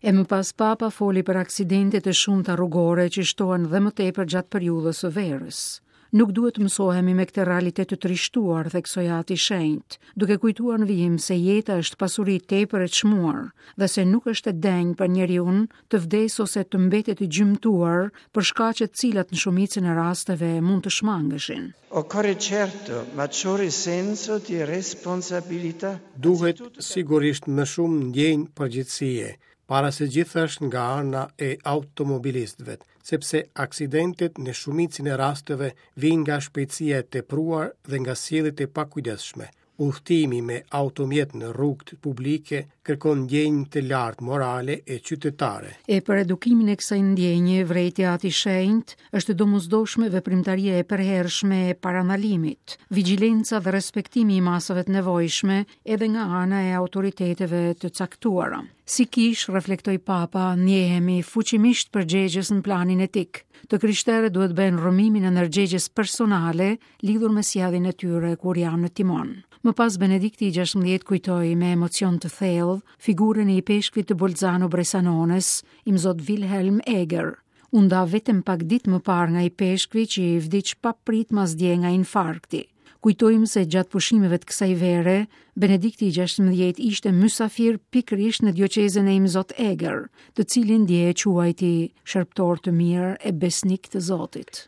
E më pas Papa foli për aksidentet e shumta rrugore që shtohen dhe më tepër gjatë periudhës së verës. Nuk duhet të mësohemi me këtë realitet të trishtuar, theksoi Ati i Shenjtë, duke kujtuar në vijim se jeta është pasuri tepër e çmuar dhe se nuk është e denjë për njeriun të vdesë ose të mbetet i gjymtuar për shkaqe të cilat në shumicën e rasteve mund të shmangeshin. Occorre certo maggiore senso di responsabilità. Duhet sigurisht më shumë ndjenjë përgjegjësie, para së gjithash nga ana e automobilistëve, sepse aksidentet në shumicën e rasteve vijnë nga shpejtësia e tepruar dhe nga sjelljet e pakujdesshme. Udhëtimi me automjet në rrugët publike kërkon ndjenjë të lartë morale e qytetare. E për edukimin e kësaj ndjenje, vërejti Ati i Shenjtë, është e domosdoshme veprimtaria e përhershme e parandalimit, vigjilenca dhe respektimi i masave të nevojshme edhe nga ana e autoriteteve të caktuara. Si kishë, reflektoi Papa, ndjehemi fuqimisht përgjegjës në planin etik. Të krishterët duhet të bëjnë rrëmimin e ndërgjegjes personale lidhur me sjelljen e tyre kur janë në timon. Më pas Benedikti i 16 kujtoi me emocion të thellë figurën e ipeshkvit të Bolzano Bresanones, imzot Wilhelm Eger. U nda vetëm pak ditë më parë nga ipeshkvi që i vdiq papritmas dje nga infarkti. Kujtojmë se gjatë pushimeve të kësaj vere, Benedikti i 16 ishte mysafir pikërisht në dioqezën e Imzot Eger, të cilin dje e quajti shërbëtor të mirë e besnik të Zotit.